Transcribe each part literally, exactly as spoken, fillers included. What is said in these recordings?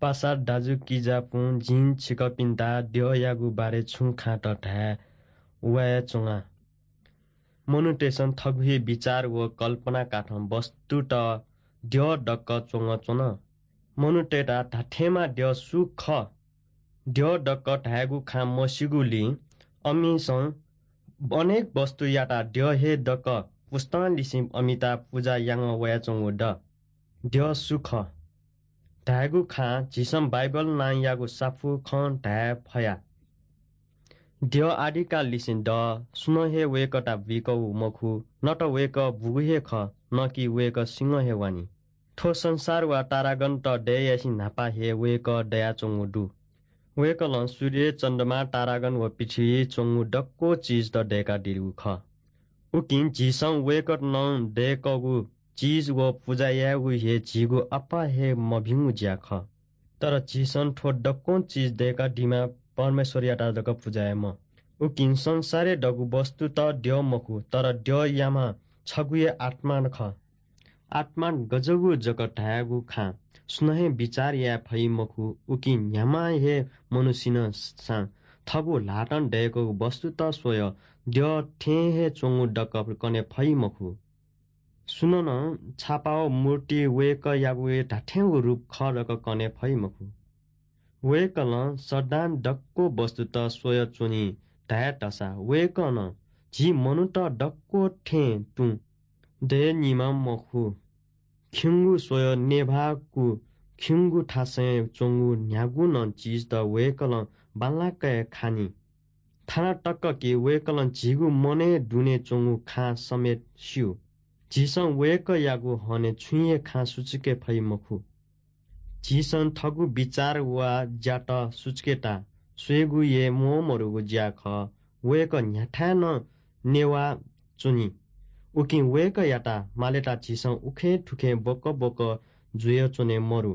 पासा दाजुकिजापुं जिं छिकपिन्त द्यःयागु बारे छुं खाँत धाये वयाच्वना। मनूतय्‌सं थःगु हे बिचार व कल्पनाकाथं वस्तुत द्यः दक्क च्वंच्वन। मनूतय्‌त धात्थेंमा द्यः सु खः? द्यः दक्क धायेगु खँ मस्यूगुलिं अमिसं अनेक वस्तुयात द्यः हे दक्क पुस्तं लिसें अमित पुजा यानाः वयाच्वंगु दु। द्यः सु खः धायेगु खँ झीसं बाइबल नांयागु साफु खँ धाये फया। द्यः आदिकाललिसें दु, सुनं हे वय्‌कःयात बुइकूगु मखु, न त वय्‌कः बूगु हे खः, न कि वय्‌कः सिंहं हे वानि। थ्व संसार व तारागणत दये यासें न्हापा हे वय्‌कः दयाच्वंगु दु। वय्‌कलं सूर्य, चन्द्रमा, तारागण व पृथ्वी च्वंगु दक्व चिजत दय्‌कादीगु खः। उकिं झीसं वय्‌कलं दय्‌कूगु चिज व पुजा यायेगु हे झीगु अप्पा हे मभिंगु ज्या खः। तर झीसं थ्व दक्वं चिज दय्‌कादीम्ह परमेश्वरयात जक पुजा यायेमाः। उकिं संसारय् दःगु वस्तुत द्यः मखु, तर द्यःयाम्ह छगू हे आत्मा खः। आत्मा गज्याःगु जक धायेगु खँ सुनं हे बिचार याये फइ मखु। उकिं न्ह्याम्ह हे मनुष्यनं सां थःगु ल्हातं दय्‌कूगु वस्तुत स्वयाः द्यः थें हे च्वंगु दक्व कने फइ मखु। सुनं नं छापा व मूर्ति वय्‌कःयागु हे धात्थेंगु रूप खः धकाः कने फइ मखु। वय्‌कलं सदां दक्व वस्तुत स्वयाच्वनी धाये धसा वय्‌कलं झी मनूत दक्व थें तुं दयेनीम्ह मखु। खिउँगु स्वयाः नेवाःगु खिउँगु थासय् च्वंगु न्ह्यागु नं चिजत वय्‌कलं बांलाक हे खनी। थाना तक कि वय्‌कलं झीगु मनय् दुने च्वंगु खँ समेत स्यू। झीसं वय्‌कःयागु हने छुं हे खँ सुचुके फइ मखु। झीसं थःगु बिचार व ज्यात सुचुकेत स्वयेगु हे म्वःमदुगु ज्या खः। वय्‌कः न्ह्याथाय् नं नेवाः च्वनी। उकिं वय्‌कःयात मालेत झीसं उखें थुखें बकबक जुयाच्वने मदु।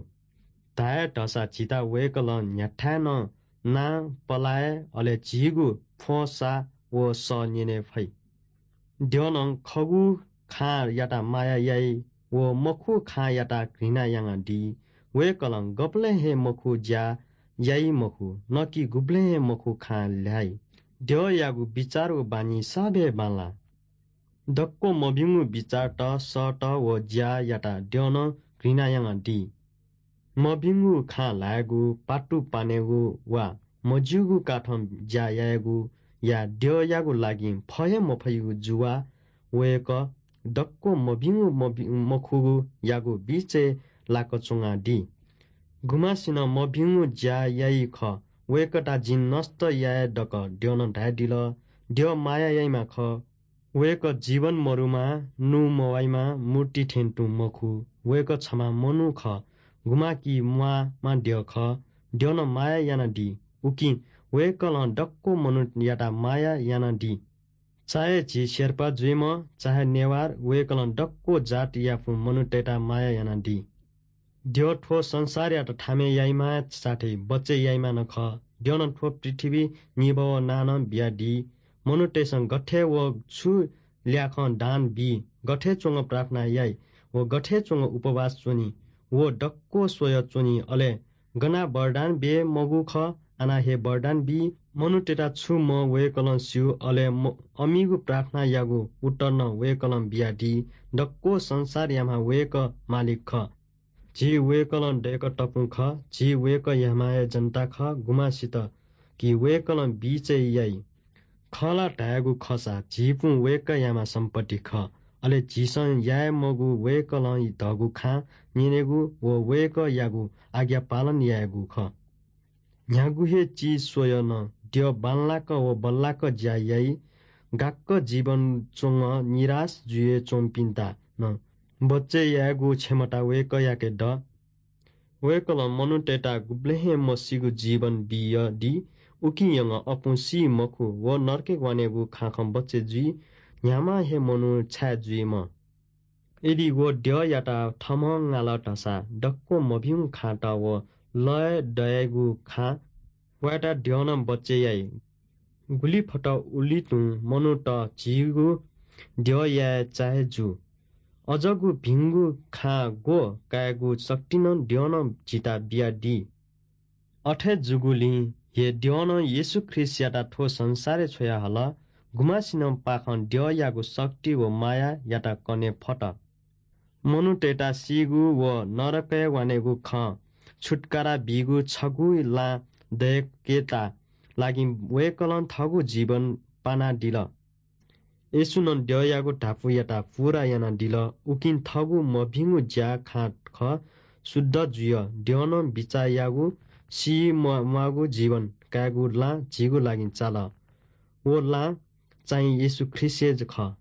धाये धसा झीत वय्‌कलं न्ह्याथाय् नं नां पलाये, अले झीगु फ्वंसा व सः न्यने फइ। द्यःनं खःगु खँयात माया याइ व मखु खँयात घृणा यानादी। वय्‌कलं गबलें हे मखु ज्या याइ मखु, न कि गुबलें हे मखु खँ ल्हाइ। द्यःयागु बिचार व बानी साबे बांला। दक्व मभिंगु बिचारत, सःत व ज्यायात द्यःनं घृणा यानादी। मभिंगु खँ ल्हायेगु, पाटु पानेगु वा मज्यूगु काथं ज्या यायेगुया द्यःयागु लागिं फये मफइगु जुवा वय्‌कः दक्व मभिंगु मभि-, मखुगुयागु बिचय् लाक च्वनादी। गुम्हसिनं मभिंगु ज्या याइ खः, वय्‌कःयात जिं नष्ट याये धकाः द्यःनं धायेदिल। द्यः माया याइम्ह खः। वय्‌कः जीवन मदुम्ह, नू मवाइम्ह, मूर्ति थें तुं मखु। वय्‌कः छम्ह मनू खः, गुम्ह कि म्वाःम्ह द्यः खः। द्यःनं माया यानादी। उकिं वय्‌कलं दक्व मनूतय्‌त माया यानादी। चाहे झी शेर्पा जुइम्ह, चाहे नेवार, वय्‌कलं दक्व जातयापिं मनूतय्‌त माया यानादी। द्यः थ्व संसारयात थामे याइम्ह साथै बचय् याइम्ह नं खः। द्यःनं थ्व पृथ्वी निभाः व नां नं बियादी। मनूतय्‌सं गथे व छु ल्याखं दान बी, गथे च्वंगः प्रार्थना याइ व गथे च्वंगः उपवास च्वनी, व दक्व स्वयाच्वनी। अले गना वरदान बी मगु खः, आना हे वरदान बी। मनूतय्‌त छु म्ह वय्‌कलं स्यू, अले म-, अमिगु प्रार्थनायागु उत्तर नं वय्‌कलं बियादी। दक्व संसारयाम्ह वय्‌कः मालिक खः। झी वय्‌कलं दय्‌कतःपिं खः। झी वय्‌कःयाम्ह हे जनता खः, गुम्हसित कि वय्‌कलं बिचय् याइ। खः ला धायेगु खःसा झीपिं वय्‌कःयाम्ह सम्पत्ति खः। अले झीसं याये मगु वय्‌कलं धःगु खँ न्यनेगु व वय्‌कःयागु आज्ञा पालन यायेगु खः। न्ह्यागु हे चिज स्वयाः नं द्यः बांलाक व बल्लाक ज्या याइ। गाक्क जीवन च्वंगः निराश जुयाच्वंपिन्त नं बचय् यायेगु क्षमता वय्‌कःयाके दु। वय्‌कलं मनूतय्‌त गुबलें हे मसीगु जीवन बियादी। उकिं यंगः अपुं सी मखु व नरकय् वनेगु खँखं बचय् जुइ। न्ह्याम्ह हे मनू छाय् जुइम्ह? यदि व द्यःयात थःम्हं ङाल धसा दक्व मभिंगु खँत व लय् दयेगु खँ वयात द्यःनं बचय् याइ। गुलि फत उलि तुं मनूत झीगु द्यः याये चाहे जू। अज्याःगु भिंगु खँ ग्वः कायेगु शक्ति नं द्यःनं झीत बियादी। अथे जूगुलिं हे द्यवनं येशू ख्रीष्टयात थ्व संसारय् छ्वयाहल। गुम्हसिनं पाखं द्यवयागु शक्ति व मायायात कने फत। मनूतय्त सीगु व नरकय् वनेगु खँ छुत्कारा बीगु छगू लां दय्केता लागि वय्कलं थःगु जीवन पानादिल। येशूनं द्यवयागु धापूयात पूरा यानादिल। उकिं थःगु मभिंगु ज्या खँ खः, शुद्ध जुइ। द्यवनं बिचाः याःगु सी म्वाःगु जीवन कायेगु लां झीगु लागि चाल। व लां चाहिँ येशू ख्रीष्ट हे खः।